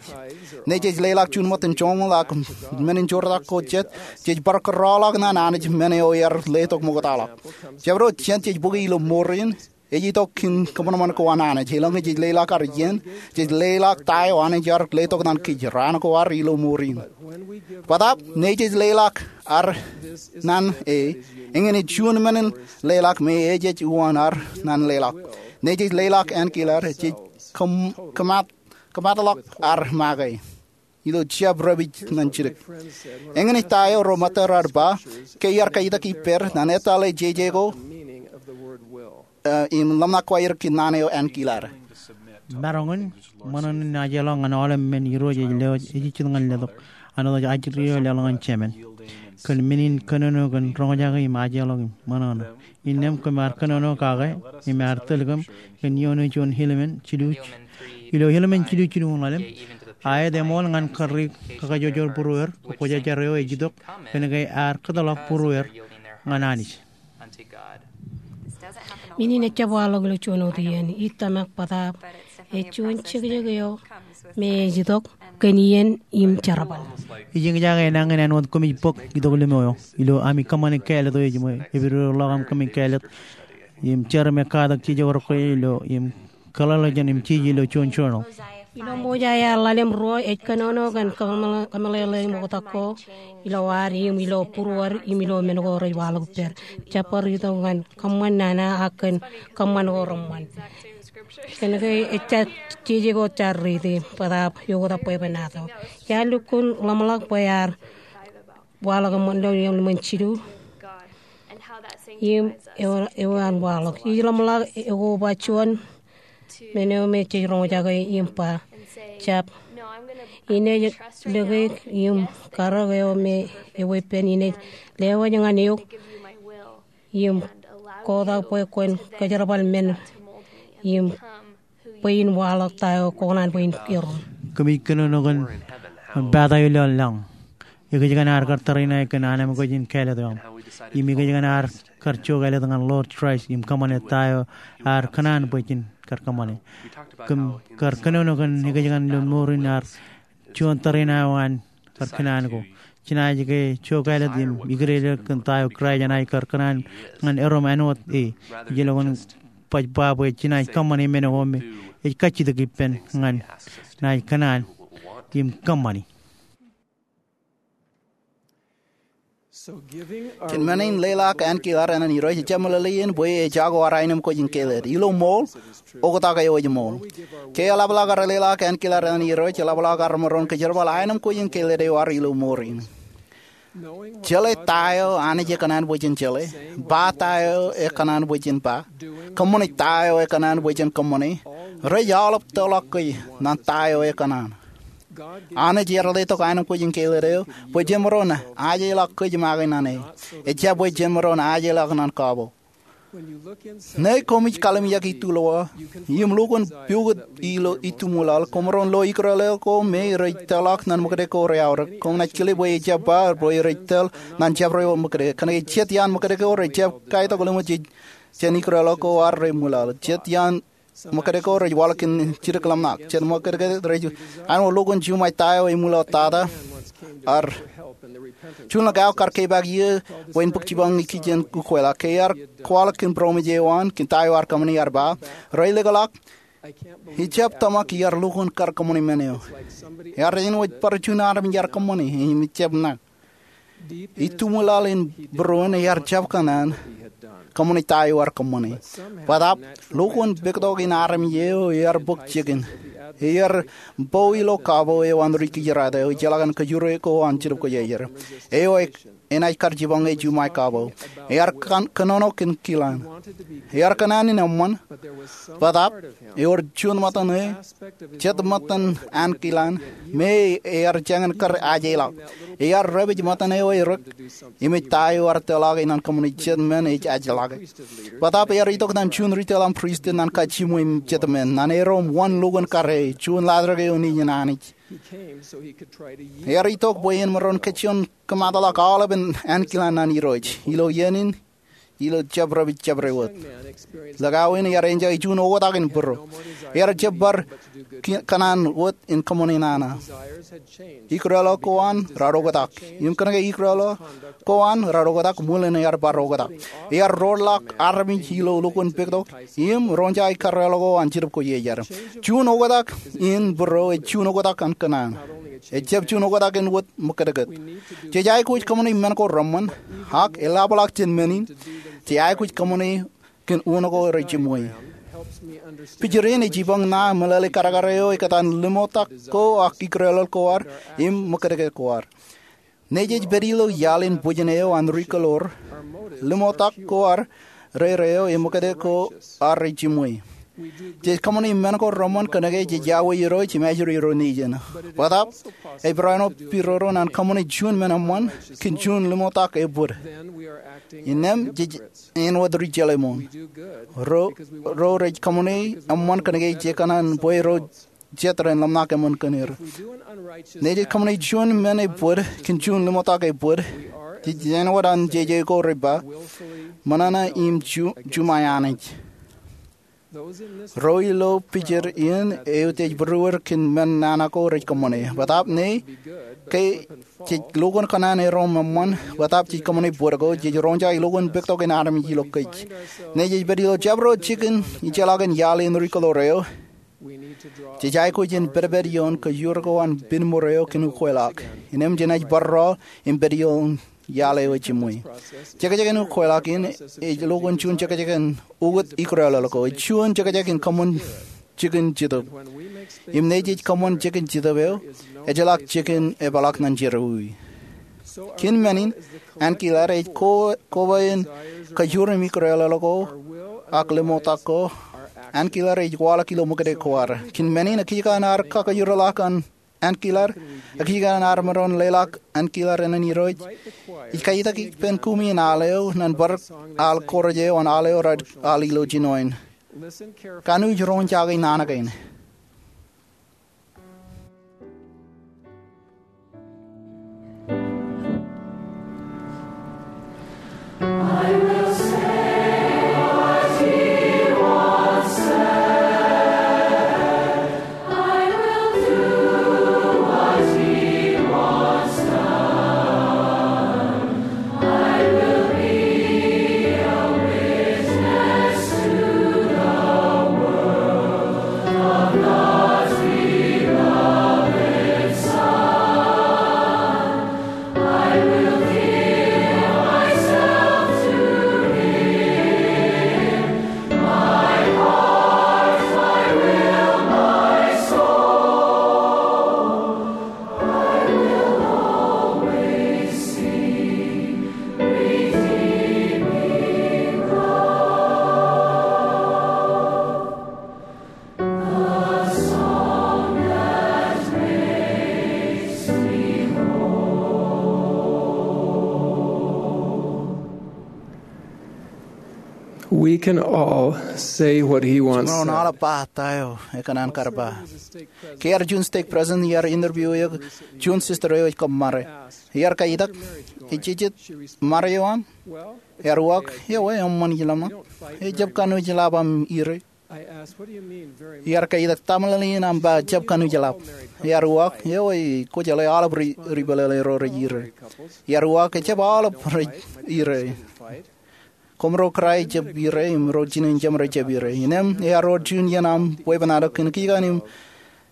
Ñe jej leḷọk juon ṃōttan joñoul ak men in joortak ko jet, jej bar kōrọọlḷọk ñan Anij men eo ear letok ṃoktaḷọk. Jabdewōt jet jej bōki ilo mour in, ej itok kōn kōṃanṃan ko an Anij. Elōñ jej leḷọk ad iien, jej leḷọk ta eo Anij ear letok ñan kōj raan ko ad ilo mour in. Bōtaab, ñe jej leḷọk ad ñan e, eñin ej juon men in leḷọk me ejej uwaan ad ñan leḷọk. Ñe jej leḷọk Ankilar, jej kōm-, kōmat- kōmatḷọk ad make ilo jab repij ñan jidik. Eñin ej ta eo ro ṃōttad raar ba, ke iar kajjitōk ippād, ñan etale jeje ko, eh, im ḷōmṇak ko aer kōn naan eo Ankilar. Maroñ in ṃōṇōṇō in ajeḷọk ñan aolep men Irooj ej lewōj ejejjet ñan letok, āinwōt ajri eo laḷ ñan Jemān. Kōn men in kōnono kōn roñjake im ajeḷọk im ṃōṇōṇō. Innām koṃ ar kōnono kake im ar tōl kōm kōn iioon juon Hilemen jilu, ilo Hilemen jilu jilu ñan ḷalem. Aet eṃool ñan kar ri kakajjojo būrueir, kwōjarjar eo ej itok kōn ke ear kōtḷọk būrueir ñan Anij. Men in ejjab waḷọk ilo juon wōt iien, ij tōmak bōtaab ej juon jekjek eo me ej itok kōn iien im jerbal. Ij eñjake enañin āinwōt koṃij bōk itok lōmeo eo ilo ami kōṃṃane kāālōt eo ej ṃōj, epidodoḷọk aṃ kōṃṃane kāālōt im jar im katak jeje ko rekwōj ilo im kōḷḷāḷọkjeṇ im jeje ilo juon journal. Ilo Mosaia ḷalem ruo ej kōnono kōn kōmeḷeḷe, kōmeḷeḷe im oktak ko ilo ad im ilo būruod im ilo men ko rej waḷọk ippād. Jab bar itok ñan kōṃṃan nana ak kōn kōṃṃan ko reṃṃan. Kōnke ejja jeje ko jaar riiti bōtaab eoktak bwebwenato. Iar lukkuun ḷōmṇak bwe ear waḷọk eṃṃan ilo ḷalem jilu im eo, eo an waḷọk. Ij ḷōmṇak ekoba juon men eo me jej roñjake im ba, jab inej lōke im karōk eo me eweeppān inej lewōj ñan eok im kotak bwe kwōn kōjerbal men im bwe in waḷọk ta eo kwō kōṇaan bwe in erom. Kōmij kōnono kōn pata eo ilo lañ. Ekōjkan ear kar tariṇae kōn anemkwōj in kāālōt eo aṃ. Im ekōjkan ear kar ijo kāālōt ñan Lord Christ im kōṃṃane ta eo ear kōṇaan bwe jen kar kōṃṃane. Kōm kar kōnono kōn ekōjkan ilo mour in ear juon tariṇae eo an kar kōṇaan ko. Jenaaj ke jokālet im ikdedeḷọk kōn ta eo Kraist enaaj kar kōṇaan ñan erom āinwōt e. Ijellọkin baj ba bwe jenaaj kōṃṃani men ko me ej kajjitōk ippān ñan naaj kōṇaan im kōṃṃani. Kōn men in leḷọk Ankilar ṇe an Irooj ejjab meḷeḷein bwe ejako ad aenōmkwōj in keled. Ilo ṃool, oktak eo ej ṃool. Ke eḷapḷọk ad leḷọk Ankilar ṇe an Irooj, eḷapḷọk ad maroñ kōjerbal aenōmkwōj in keled eo ad ilo mour in. Jeḷā ta eo Anij ekōṇaan bwe jen jeḷā, ba ta eo ekōṇaan bwe jen ba, kōṃṃane ta eo ekōṇaan bwe jen kōṃṃane, rej aolep tōḷọk kōj ñan ta eo ekōṇaan. Anij ear letok aenōmkwōj in keled eo bwe jemaroñ ajeḷọk kōj make ñan e. Ejjab bwe jemaroñ ajeḷọk ñan kabo. Ñe koṃij kallimjek itulowa im lukkuun pukot ilo itumwilal, koṃaroñ lo ikūrḷọk ko me rej tōḷọk ñan ṃōkade ko rej aorōk. Koṃ naaj kile bwe ejjab ba bwe rej tōl ñan jabdewōt ṃōkade. Kōnke jet iaan ṃōkade ko rej jab kaitok ḷimot jān ikūrḷọk ko ad rej ṃwilaḷ. Jet iaan ṃōkade ko rej waḷọk kōn jidik ḷōmṇak. Jet ṃōkade ko rej āinwōt lukkuun juṃae ta eo eṃwilaḷ tata. Ar juon ḷọk aō kar kepaak iiō bwe en bōk jipañ ikijjien ukweḷọk. Ke ear kwaḷọk kōn būroṃōj eo an kōn ta eo ear kōṃṃani, ear ba, rej likḷọk, ijjab tōmak iar lukkuun kar kōṃṃani men eo. Ear āinwōt bar juon armej ear kōṃṃani im ijjab ṇa. Itumwilal in būruon ear jab kōṇaan kōṃṃani ta eo ear kōṃṃani. Bōtaab, lukkuun pektok in armej eo ear bōk jikin. Ear bo ilo kabo eo an ri-kijerato eo ejjeḷọk an kōjure ko an Jetōb Kwōjarjar. Eo e enaaj kar jipañ e juṃae kabo. Ear kōn, kōnono kōn kilaan. Ear kōṇaan in eṃṃan. Bōtaab, ewōr juon ṃōttan e, jet ṃōttan Ankilar, me ear jañin kar ajeḷọk. Ear dāpij ṃōttan eo erik, im ej ta eo ear tōḷọk e ñan kōṃṃani jet men ej ajḷọke. Bōtaab ear itok ñan juon ri-tōl aṃ pristut ñan kajjimwe jet men, ñan erom wōn lukkuun kar e, juon laajrak eo nejin Anij. Ear itok bwe en maroñ kajjioñ kōmaatḷọk aolepen Ankilar ṇe an Irooj. Ilo iien in, ilo jabdewōt jabdewōt. Ḷọk aō in ear enjoy juon oktak in būro. Ear jab bar ki-, kōṇaan wōt in kōṃṃani nana. Ikūrḷọk ko an raar oktak. Im kōnke ikūrḷọk ko an raar oktak, ṃwilen ear bar oktak. Ear roñḷọk armej ilo lukkuun pektok im roñjake ikūrḷọk ko an Jetōb Kwōjarjar. Juon oktak in būro ej juon oktak an kōṇaan. Ejjab juon oktak in wōt ṃōkadkōt. Jej aikuj kōṃṃani men ko reṃṃan, ak eḷapḷọk jān men in, jej aikuj kōṃṃani kōn unin ko rej jiṃwe. Picture in ej jipañ ṇa meḷeḷe kadkad eo ekōtaan ḷimotak ko ak ikūrḷọk ko ad im ṃōkadkōt ko ad. Nejej pād ilo iaḷ in bwijin eo an ri-kōḷoor, ḷimotak ko ad rere eo im ṃōkadkōt ko ad rej jiṃwe. Jej kōṃṃani men ko reṃṃan kōnke jej iọkwe Irooj im ajri ro nejin. Bōtaab, ej barāinwōt pidodo ñan kōṃṃani juon men eṃṃan kōn juon ḷimotak ebōd. Innām jej āinwōt ri-jeḷā ṃool. Ro, ro rej kōṃṃani eṃṃan kōnke ej kōṇaan bwe ro jet ren ḷōmṇak eṃṃan kōn er. Nejej kōṃṃani juon men ebōd kōn juon ḷimotak ebōd, jej āinwōt an jeje ko rej ba, ṃōṇōṇō im ju-, juṃae Anij. Ro ilo picture in eutiej būruod kōn men nana ko rej kōṃṃane. Bōtaab ñe, ke jej lukkuun kōṇaan erom eṃṃan, bōtaab jej kōṃṃane bōd ko, jej roñjake lukkuun pektok in armej ilo kōj. Ñe jej pād ilo jabdewōt jikin ijellọkin iaḷ in ri-kōḷoor eo, jej aikuj in pedped ioon kōjur ko an pineṃour eo kōn ukweḷọk. Innām jenaaj bar rọọl im pād ioon iaḷ eo ejiṃwe. Jekjek in ukweḷọk in ej lukkuun juon jekjek in ukōt ikūrḷọk ko. Ej juon jekjek in kōṃṃan jikin Jetōb. Im ñe jej kōṃṃan jikin Jetōb eo, ejjeḷọk jikin epaḷọk ñan jerọwiwi. Kōn men in, Ankilar ej ko-, koba in kōjur im ikūrḷọk ko, ak ḷimotak ko, Ankilar ej waḷọk ilo ṃōkade ko ad. Kōn men in, ekijkān ad kakōjorḷọk an Ankilar, ekijkān ad maroñ leḷọk Ankilar ṇe an Irooj. Ij kaitak ippān kumi in al eo, ñan bar al chorus eo an al eo raar al ilo jinoin. Kanooj roñjake nana kein. We can all say what he wants said. Jemaroñ aolep ba ta eo ekōṇaan kar ba. Ke ear juon stake president, iar interview eok juon sister eo ej kōṃṃare. Iar kaitak, ejejjet ṃare eo aṃ? Ear uwaak, ewi, eṃṃan ij ḷōmṇak. Ejjab kanooj lab aṃ ire. Iar kaitak, ta meḷeḷe in aṃ ba jab kanooj lab? Ear uwaak, ewi, kwōjeḷā aolep ri, ri peḷeḷe ro rej ire. Ear uwaak, ejjab aolep rej ire. Koṃro kōrā ejjab ire, im ro jinen jeṃ rej jab ire. Innām ear wōr juon iien aṃ weeppān ad kōn kij kaṇ im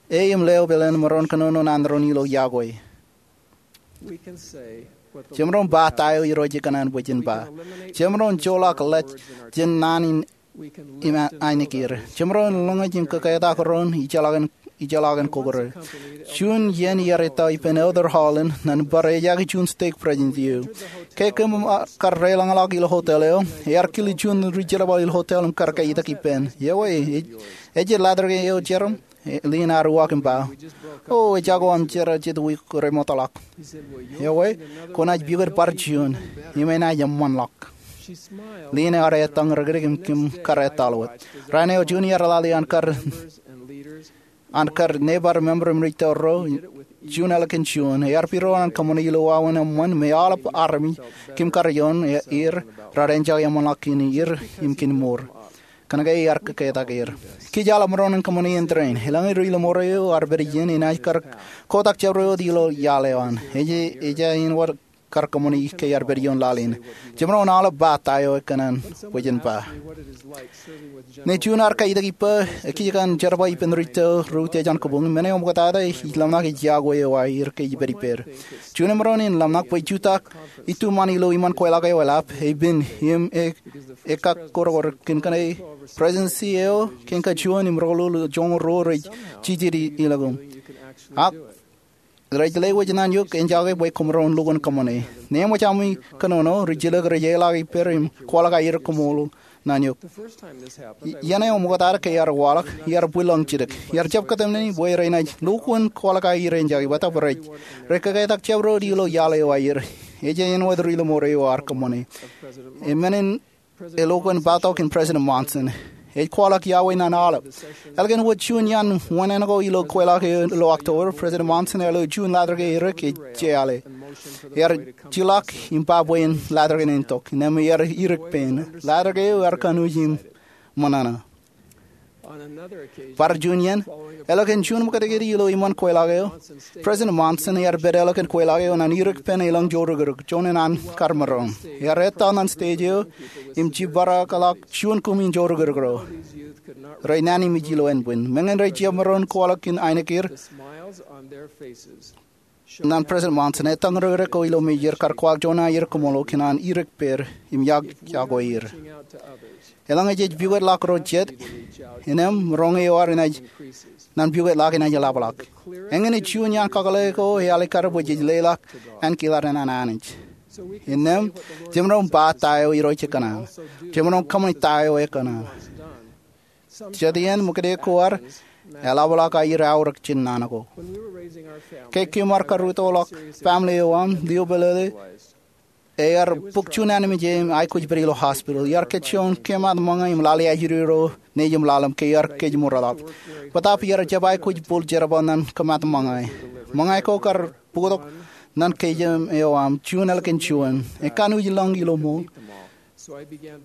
e im leo peḷeḷe in maroñ kōnono naan doon ilo yokwe. Jemaroñ ba ta eo Irooj ekōṇaan bwe jen ba. Jemaroñ joḷọk ḷọk jān naan in im ainikid. Jemaroñ lōñḷọk im kōketak doon ijellọkin, ijellọkin kōkōrā. Juon iien iar ettā ippān Elder Holland ñan bar ejaki juon stake president eo. Ke kōm kar deḷọñḷọk ilo hotel eo, ear kile juon ri jerbal ilo hotel im kar kaitak ippān, ewi, ej, ej ḷadik eo jerọm? Leen ear uwaak im ba, o, ejako aṃ jerọm jet wiik remootḷọk. Ewi, kwōnaaj pukot bar juon, im enaaj eṃṃanḷọk. Leen ear ettōñ rikdik im kōm kar etal wōt. Raan eo juon iar lale an kar, an kar nebar member im ri tōl ro, juon ālikin juon. Ear pidodo an kōṃṃane ilo wāween eṃṃan me aolep armej kōm kar ioon er rar enjoy eṃṃanḷọk kōn er im kōn mour. Kōnke ear kōketak er. Kij aolep maroñ in kōṃṃane in train. Eḷaññe ri ḷōṃaro eo ar pād iien, enaaj kar kotak jabdewōt ilo iaḷ eo an. Ej, ej āinwōt kar kōṃṃane ke ear pād ioon laḷ in. Jemaroñ aolep ba ta eo ekōṇaan bwe jen ba. Ñe juon ear kaitak ippa, ekijjeen jerbal ippān ri tōl ro utiej an kōbuñ, men eo ṃoktata ij ḷōmṇak ej yokwe eo aer ke ij pād ippād. Juon emaroñ in ḷōmṇak bwe ej jutak ituṃaan ilo iṃaan kweilọk eo eḷap, epen im e, ekakkotkot kōn kōṇaan presidency eo, kōn kajuon im roñoul joñoul ruo rej jijet ilọk im. Ak rej lewōj naan eok enjake bwe koṃro lukkuun kōṃṃane. Ñe eṃōj ami kōnono, rijilōk rej ilọk ippād im kwaḷọk aer koṃṃool naan eok. Iien eo ṃoktata ke ear waḷọk, iar bwilōñ jidik. Iar jab kōtmāne bwe renaaj lukkuun kwaḷọk aer enjake, bōtaab rej, rej kōketak jabdewōt ilo iaḷ eo aer. Ej āinwōt ri ḷōṃaro eo ar kōṃṃane. Im men in elukkuun batok in President Monson. Ej kwaḷọk yokwe ñan aolep. Ālikin wōt juon iaan wānōk ko ilo kweilọk eo ilo October, President Monson ear lo juon ḷadik eo erik ej jeḷā. Ear jilọk im ba bwe en ḷadik in tok. Innām ear irik pein. Ḷadik eo ear kanooj im ṃōṇōṇō. Bar juon iien, ālikin juon ṃōkajjik ilo iṃaan kweilọk eo, President Monson ear pād ālikin kweilọk eo ñan irik pen elōñ joorōkrōk, juon in an kar maroñ. Ear ettā ñan stage eo, im jibadekḷọk juon kumi in joorōkrōk ro. Rej naan im ej ilo ānbwin. Meñe rej jab maroñ kwaḷọk kōn ainikid, ñan President Monson, ettōñ rikdek ko ilo mejād kar kwaḷọk juon aer koṃṃool kōn an irik pād im yokwe er. Eḷaññe jej pukotḷọk ro jet, innām roñ eo ad enaaj ñan pukotḷọk enaaj ḷapḷọk. Eñin ej juon iaan kakōḷḷe ko ealikkar bwe jej leḷọk ankilaad ñan Anij. Innām, jemaroñ ba ta eo Irooj ekōṇaan. Jemaroñ kōṃṃane ta eo ekōṇaan. Jet iien ṃōkajjik ko ad eḷapḷọk aer aorōk jān naan ko. Ke kōm ar karūttoḷọk family eo aṃ, lio pālele, ear bōk juon ānmej im aikuj pād ilo hospital. Iar kōjjoñan kōmaat ṃōñā im lale ajri ro nejūṃ ḷalem ke ear kōjmourḷọk. Bōtaab iar jab aikuj bōl jerbal ñan kōmaat ṃōñā. Ṃōñā ko kar bōktok ñan kōjām eo aṃ, juon ālikin juon. Ekanooj lōñ ilo ṃool.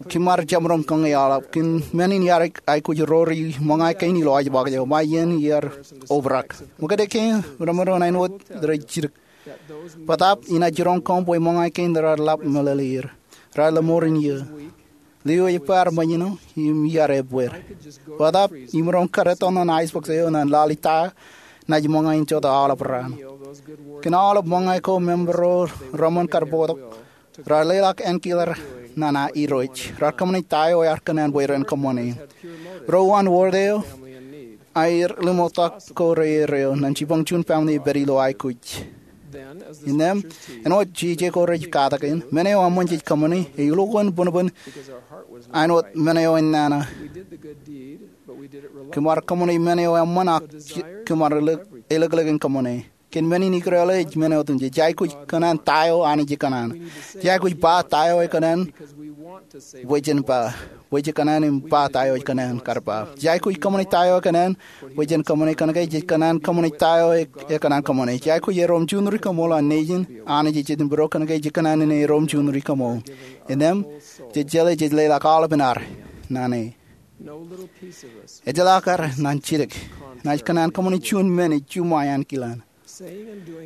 Kōm ar jab maroñ kōñi aḷap kōn men in iar aikuj ro ri ṃōñā kein ilo ajbak eo, ba iien iar obrak. Ṃōkajjik kein remaroñ āinwōt rej jidik. Bōtaab inaaj jiroñ kōm bwe ṃōñā kein raar ḷap meḷeḷeir. Raar lōṃoor in iiō. Lio ej bar ṃōjṇọ im iar ebbeer. Bōtaab imaroñ kar ettā ñan ice box eo ñan lale ta, naaj ṃōñā in jota aolep raan. Kōn aolep ṃōñā ko, member ro reṃōn kar bōktok raar leḷọk ankilaad ñan Irooj. Raar kōṃṃane ta eo ear kōṇaan bwe ren kōṃṃane. Ro uwaan ward eo, aer limoottok ko reerreo ñan jipañ juon family eo ej pād ilo aikuj. Innām, āinwōt jeje ko rej katak in, men eo eṃṃan jej kōṃṃane, ej lukkuun bōnbōn āinwōt men eo enana. Kōm ar kōṃṃane men eo eṃṃan ak kōm ar elōk, elōklōk in kōṃṃane. Kōn men in ikōrā ḷọk ej men otemjej. Jej aikuj kōṇaan ta eo Anij ej kōṇaan. Jej aikuj ba ta eo ekōṇaan bwe jen ba. Bwe jej kōṇaan im ba ta eo ej kōṇaan kar ba. Jej aikuj kōṃṃani ta eo ekōṇaan bwe jen kōṃṃani, kōnke jej kōṇaan kōṃṃani ta eo e, ekōṇaan kōṃṃani. Jej aikuj erom juon rikaṃool an Nejin Anij ej Jitōnbōro, kōnke jej kōṇaan erom juon rikaṃool. Innām, jej jeḷā jej leḷọk aolepān ad naan e. Ejjeḷọk ad naan jidik. Naaj kōṇaan kōṃṃani juon men ej juṃae ankilaan.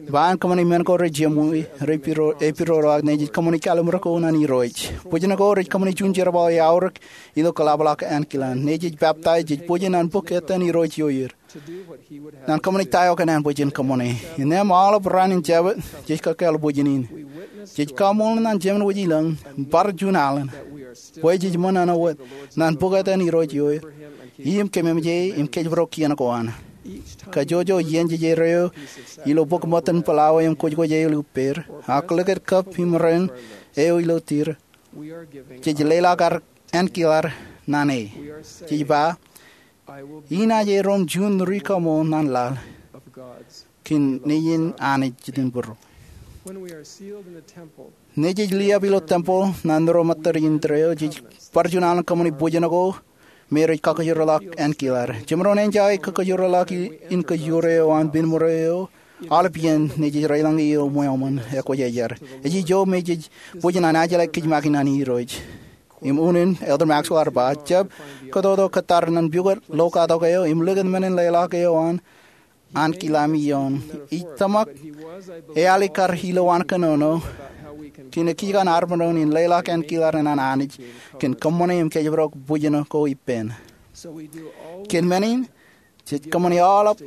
Ba im kōṃṃani men ko rej jiṃwe, rej piro, ej pidodoḷọk. Nejej kōṃṃani kalimur ko naan Irooj. Bwijin ko rej kōṃṃani juon jerbal eo eaorōk ilo kaḷapḷọk ankilaan. Nejej peptaij, jej bwijin naan bōk etan Irooj ioer. Naan kōṃṃani ta eo ekōṇaan bwe jen kōṃṃani. Innām aolep raan in Jabōt, jej kakāāl bwijin in. Jej kaṃool naan jemāwōj ilōñ, bar juon alen. Bwe jej ṃōṇōṇō wōt naan bōk etan Irooj ioer. Im kōmeṃōj e, im kōjparok kien ko an. Kajjojo iien jej erreo ilo bōk ṃōttan palawa im kwōjkwōj eo ilo ippāer, ak likūt kab im ren eo ilo tir, jej leḷọk ad ankilaan naan e. Jej ba, inaaj erom juon rikaṃool naan laḷ kōn Nejin Anij Jitōnbōro. Nejej liab ilo tempel naan ro ṃōttad in tōre eo, jej bar juon alen kōṃṃani bwijin ko me rej kakkōjorḷọk ankilaan. Jemaroñ enjoy kakkōjorḷọk in kōjro eo an pen ṃōro eo, aolep iien nejej reiḷọñe ilo ṃweo ṃōn ekwōjarjar. Ej ijo me jej bwijin an ajjeḷā kōj make naan Irooj. Im unin Elder Maxwell ear ba, jab kōtoto kōttar naan pukot lokatok eo im likūt men in leḷọk eo an ankilaan ioon. Ij tōmak eali kar ilowaan kōnono kōn ekkijkan armej in leḷọk ankilaan an Anij kōn kōṃṃane im kōjparok bwijin ko ippān. Kōn men in, jej kōṃṃani aolep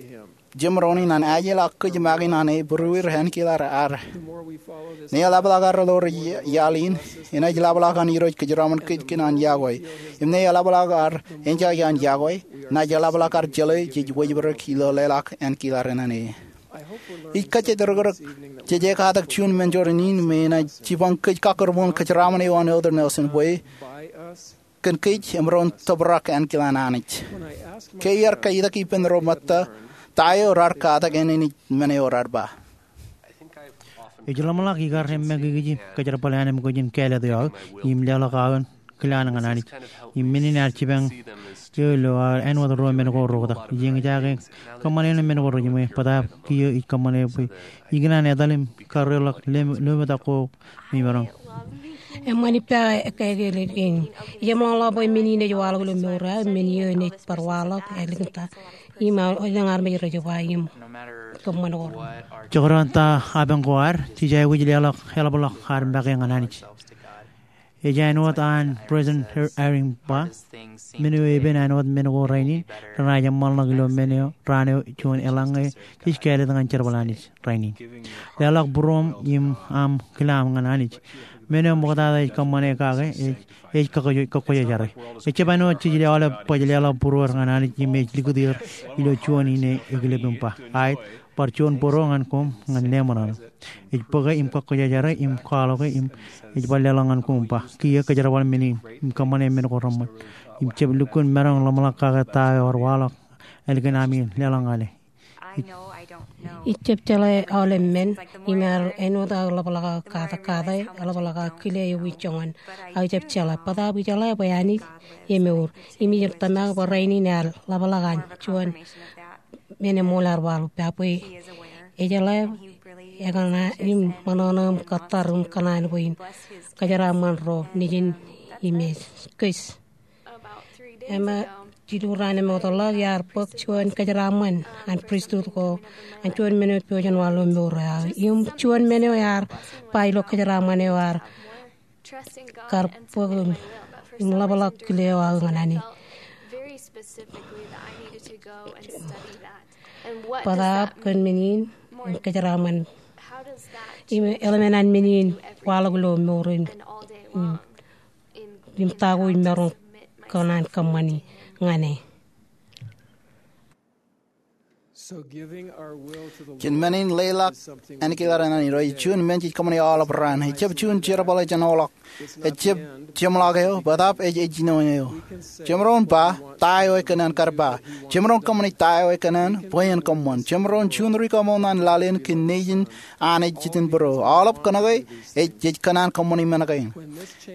jemaroñ in an ajjeḷā kōj make naan e, būrueir ankilaan ad. Ṇe eḷapḷọk ad ḷoor iaḷ in, enaaj ḷapḷọk an Irooj kōjeraṃṃan kōj kōn an yokwe. Im ṇe eḷapḷọk ad enjoy an yokwe, enaaj eḷapḷọk ad jeḷā jej wōjpedped ilo leḷọk ankilaan naan e. Ij kajjitōk ri-kōrā, jej katak juon mentor in me enaaj jipañ kōj kakōrmool kōjeraṃṃan eo an Elder Nelson bwe kōn kōj emaroñ tōprak ankilaan Anij. Ke iar kajjitōk ippān ro ṃōtta ta eo raar katak, enaaj men eo raar ba. Ij ḷōmṇak ikar im make ikijjeen kōjerbal ānbwin kōj in kāālōt eo aō im leḷọk aō in kilaan ñan Anij. Im men in ear jipañ eo ilo aō āinwōt ro men ko reoktak. Ij eñjake kōṃṃane men ko rejiṃwe, bōtaab kiiō ij kōṃṃane bwe ikōṇaan etal im karreoḷọk lōmetak ko me imaroñ. Eṃṃan ippa ekkā in. Ij eṃṃanḷọk bwe men in ej waḷọk ilo mour eo aō, men in ej bar waḷọk ālikin ta im elōñ armej rej ba im kōṃṃan ko. Jekdọọn ta apañ ko ad, jej aikuj leḷọk eḷapḷọk ad make ñan Anij. Ej āinwōt an President Eyring ba, men eo epen āinwōt men ko rainin, renaaj eṃṃanḷọk ilo men eo raan eo juon eḷaññe jej kāālōt ñan jerbal Anij rainin. Leḷọk būruōṃ im aṃ kilaam ñan Anij. Men eo ṃoktata ej kōṃṃane kake ej, ej kakkōjojare. Ejjab āinwōt jej aolep baj leḷọk būruod ñan Anij im ej likūt er ilo juon in ekilep im ba, aet, bar juon bōro ñan koṃ ñan leṃōṇōṇō. Ej bōke im kakkōjojare im kwaḷọke im ej bar leḷọk ñan koṃ ba, kiiō kōjerbal men in im kōṃṃane men ko reṃṃan. Im jab lukkuun maroñ ḷōmṇak kake ta eo ear waḷọk ālikin ami leḷọk ñan e. Ij jab jeḷā aolep men, im ear āinwōt aō ḷapḷọk aō katak kate, ḷapḷọk aō kile eo ij joñan. Aō jab jeḷā, bōtaab ij jeḷā bwe Anij emour. Im ij tōmak bwe rainin ear ḷapḷọk an juon men eṃool ear waḷọk, pād bwe ej jeḷā, ekōṇaan im ṃōṇōṇō im kōttar im kōṇaan bwe in kōjeraṃṃan ro nejin im ej kōj. Eṃṃan, jilu raan eṃṃakūt ḷọk iar bōk juon kōjeraṃṃan an pristut ko an juon men eo pojak in waḷọk ilo mour eo aō. Im juon men eo ear ba ilo kōjeraṃṃan eo ear kar bōk im ḷapḷọk kile eo aō ñan Anij. Bōtaab kōn men in im kōjeraṃṃan im eḷmān an men in waḷọk ilo mour in, im, im ta ko ij maroñ kōṇaan kōṃṃani ñan e. Jen men in leḷọk ānkilar ñan Irooj juon men jej kōṃṃani aolep raan. Ejjab juon jerbal ej jenoḷọk. Ejjab jeṃḷọk eo, bōtaab ej ejjino eo. Jemaroñ ba ta eo ekōṇaan kar ba. Jemaroñ kōṃṃani ta eo ekōṇaan bwe en kōṃṃan. Jemaroñ juon ri kaṃool ñan laḷ in kōn nejin Anij Jitōnbōro. Aolep kōnke ej, jej kōṇaan kōṃṃani men kein.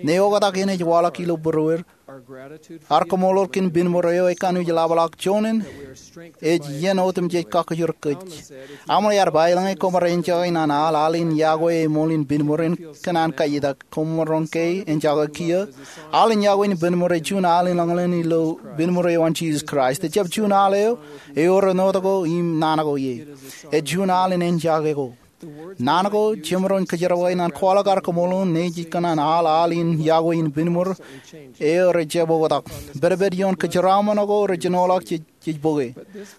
Ñe oktak in ej waḷọk ilo būrueir, ar kaṃṃoolol kōn binmor eo ekanooj ḷapḷọk juon in ej iien otemjej kakajoor kōj. Aṃle ear ba, eḷaññe koṃ ar enjake ñan aḷ, aḷ in yokwe eṃool in binmor in kōṇaan kaiitak. Koṃ maroñ ke enjake kiiō? Aḷ in yokwe in binmor ej juon aḷ in eḷaññe ilo binmor eo an Jisōs Kraist. Ejjab juon aḷ eo ewōr āinwōt ko im naan ko ie. Ej juon aḷ in enjake ko. Naan ko jemaroñ kōjerawe ñan kwaḷọk ar kaṃṃoolol ñe jej kōṇaan aḷ, aḷ in yokwe in binmor eo rejjab oktak. Pedped ioon kōjeraaṃṃan ko rej jenoḷọk jej, jej bōke.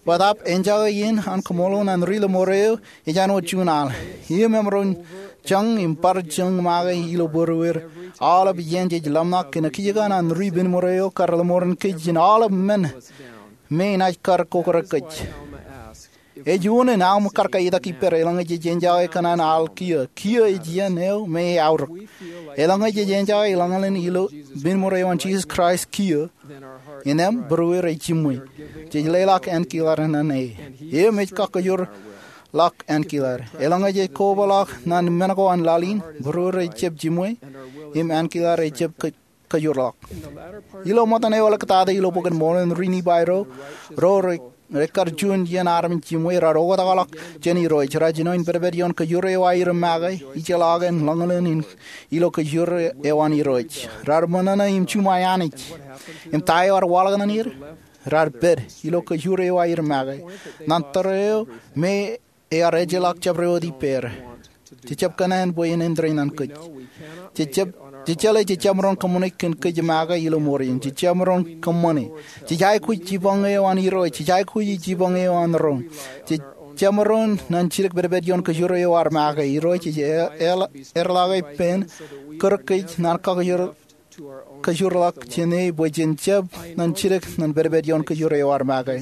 Bōtaab enjake in an kaṃṃoolol ñan ri lọmọọr eo ej āinwōt juon aḷ. Im emaroñ jañ im bar jañ make ilo būrueir aolep iien jej ḷōmṇak kōn kajjitōk an ri binmor eo kar lọmọọren kōj jān aolep men me enaaj kar kokōrā kōj. Ej unin aṃ kar kaiitak ippād eḷaññe jej enjake kōṇaan aḷ kiiō. Kiiō ej iien eo me eaorōk. Eḷaññe jej enjake eḷaññe ilo binmor eo an Jisōs Kraist kiiō, innām būrueir ej jiṃwe. Jej leḷọk ānkilar ñan e. Im ej kakajoorḷọk ānkilar. Eḷaññe jej kobaḷọk ñan men ko an laḷ in, būrueir ejjab jiṃwe, im ānkilar ejjab kō kajoorḷọk. Ilo ṃōttan eoḷ ektata ilo Bok in Mormon, ri Nifai ro, ro re, rekar juon iien armej jiṃwe, raar oktakḷọk jān Irooj, raar jino in pedped ioon kajoor eo aer make, ijjeḷọk en ḷōñḷōn in ilo kajoor eo an Irooj. Raar ṃōṇōṇō im juṃae Anij. Im ta eo ear waḷọk ñan er? Raar pād ilo kajoor eo aer make. Ñan tōre eo me ear ejjeḷọk jabdewōt ippāer. Jejjab kōṇaan bwe en āindein ñan kōj. Jejjab, jejeḷā jejjab maroñ kōṃṃane kōn kōj make ilo ṃoor in. Jejjab maroñ kōṃṃane. Jej aikuj jipañ eo an Irooj. Jej aikuj jipañ eo an roñ. Jejjab maroñ nañjidek pedped ioon kajoor eo ear make. Irooj ej e-, e-, eḷḷọke ippān kūr kōj ñan kakajoor kajoorḷọk jān e bwe jen jab nañjidek ñan pedped ioon kajoor eo ear make.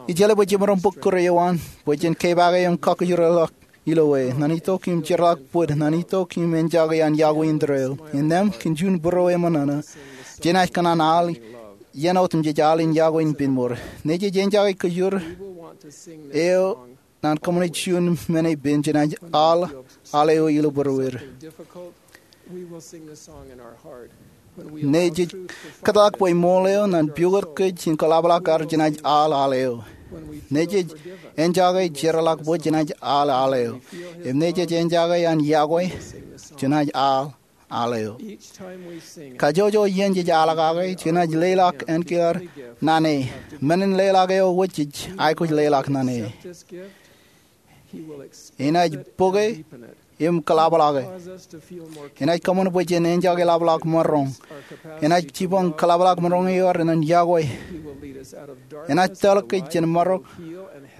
Ijeḷā bwe jemaroñ bōk kūr eo an, bwe jen kepaake im kakajoorḷọk ilo e. Ñan itok im jeorḷọk bōd, ñan itok im enjake an yokwe in tōre eo. Innām kōn juon būrueir eṃōṇōṇō, jenaaj kōṇaan aḷ, iien otemjej aḷ in yokwe in binmor. Ñe jej enjake kajoor eo ñan kōṃṃane juon men epen, jenaaj aḷ aḷ eo ilo būrueir. Ñe jej kōtḷọk bwe ṃool eo ñan pukot kōj in kōḷapḷọk ad, jenaaj aḷ aḷ eo. Ñe jej enjake jeorḷọk bōd, jenaaj aḷ aḷ eo. Im ñe jej enjake an yokwe, jenaaj aḷ aḷ eo. Kajjojo iien jej aḷ kake, jenaaj leḷọk ānkilar ñan e. Men in leḷọk eo wōj jej aikuj leḷọk ñan e. Enaaj bōke im kōḷapḷọke. Enaaj kōṃṃan bwe jen enjake ḷapḷọk maroñ. Enaaj jipañ kōḷapḷọk maroñ eo ad ñan yokwe. Enaaj tōl kōj jān marok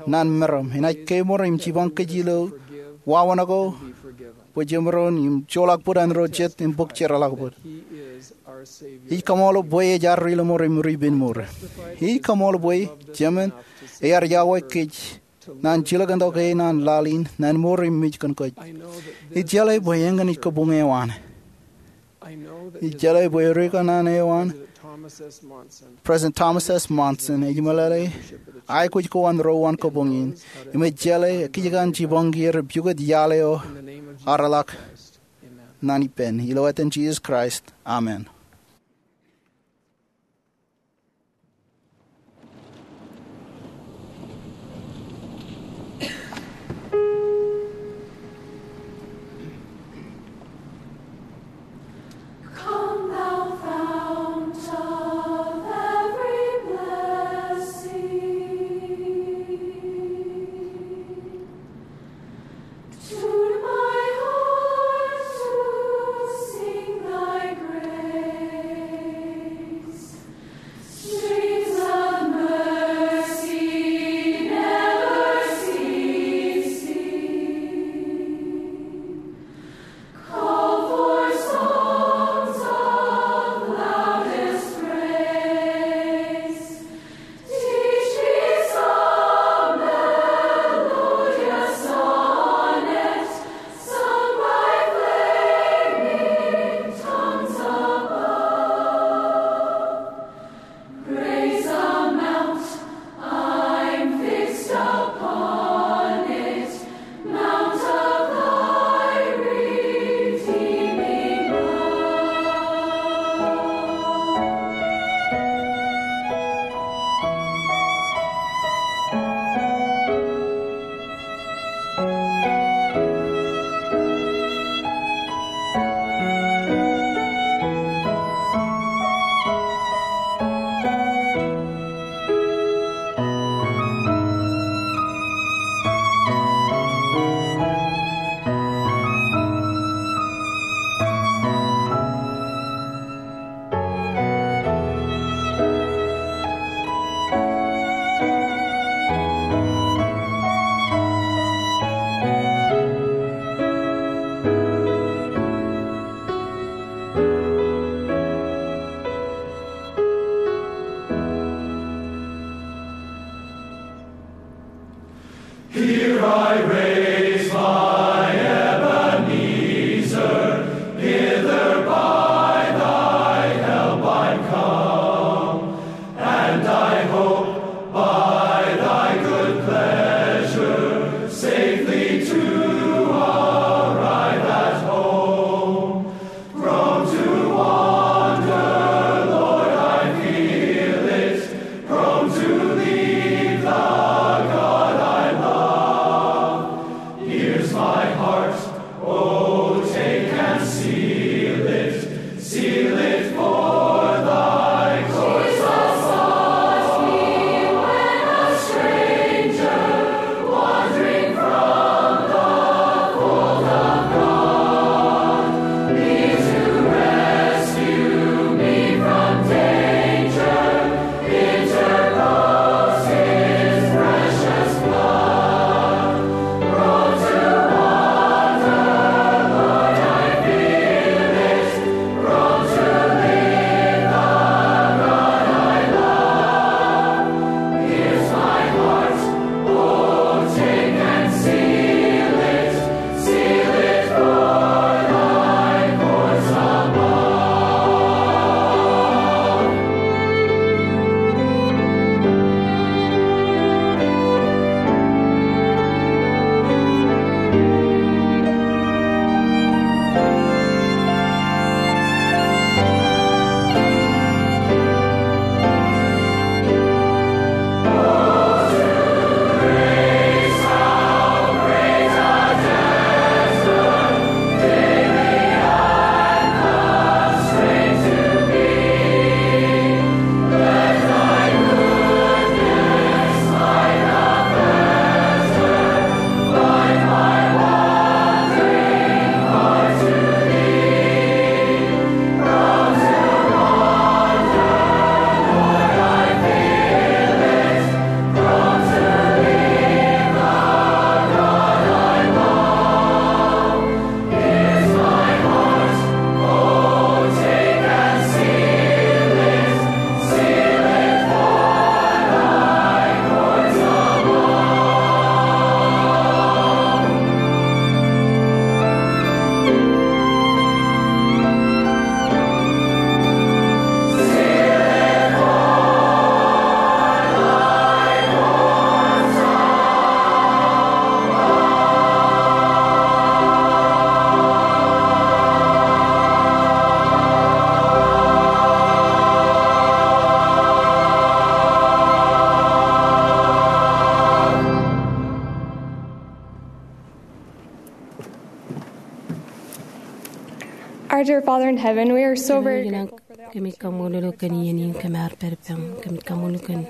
ñan meram. Enaaj kemour im jipañ kōj ilo wāween ko bwe jemaroñ im joḷọk bōd an ro jet im bōk jeorḷọk bōd. Ij kaṃṃoolol bwe ej ad ri lọmọọr im ri binmor. Ij kaṃṃoolol bwe Jemān ear yokwe kōj ñan jilkintok e ñan laḷ in, ñan mour im mej kōn kōj. Ijeḷā bwe eñin ej kabuñ eo an. Ijeḷā bwe ri kōṇaan eo an, President Thomas S. Monson, ej meḷeḷe aikuj ko an ro an kabuñ in. Im ej jeḷā kajjitōk an jipañ er pukot iaḷ eo ear ḷak ñan ippān. Ilo etan Jisōs Kraist, amen. Our dear Father in heaven, we are so very grateful for the kōmij kaṃṃoolol eok kōn iien in kōm ar pād ippaṃ. Kōmij kaṃṃoolol kōn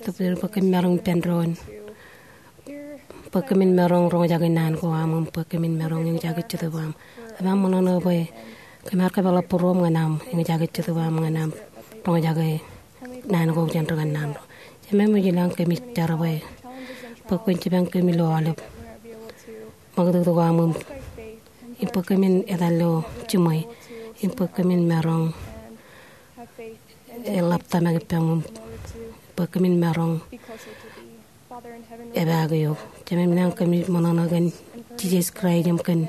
bwe kōmin maroñ ippān doon, bwe kōmin maroñ roñjake naan ko aṃ im bwe kōmin maroñ eñjake jetōb aṃ. Emaṃ ṃōṇōṇō bwe kōm ar kōpeḷḷọk būruōm ñan aṃ eñjake jetōb aṃ ñan aṃ roñjake naan ko jān ri kannaanḷọk. Jemem ilañ kōmij jar bwe, bwe kwōn jipañ kōm ilo aolep ṃakūtkūt ko aṃ im, im bwe kōmin etal ilo jiṃwe, im bwe kōmin maroñ eḷap tōmak ippaṃ, im bwe kōmin maroñ epaak eok. Jemem ilañ kōmij ṃōṇōṇō kōn Jisōs Kraist im kōn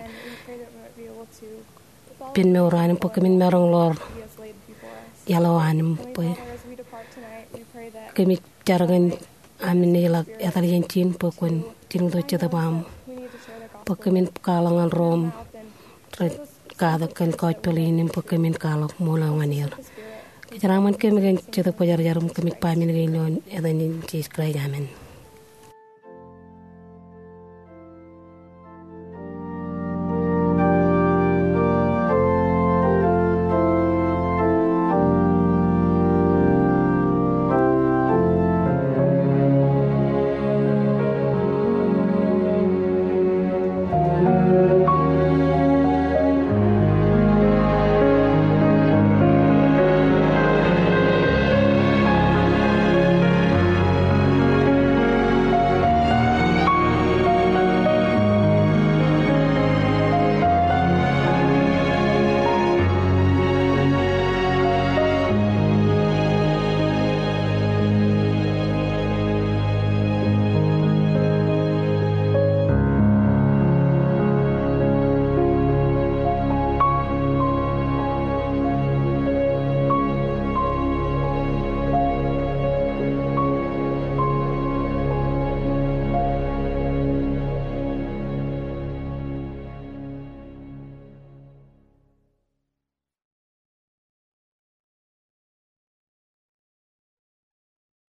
ippān mour eo an im bwe kōmin maroñ ḷoor iaḷ eo an im bwe kōmij jar kōn aṃ naaj ḷak etal jān ijin bwe kwōn jilkintok jetōb aṃ. Bwe kōmin kwaḷọk ñan ro im rej katak kōn gospel in im bwe kōmin kwaḷọk ṃool eo ñan er. Kōjeraaṃṃan kōm kōn Jetōb Kwōjarjar im kōmij ba men kein ilo etan in Jisōs Kraist, amen.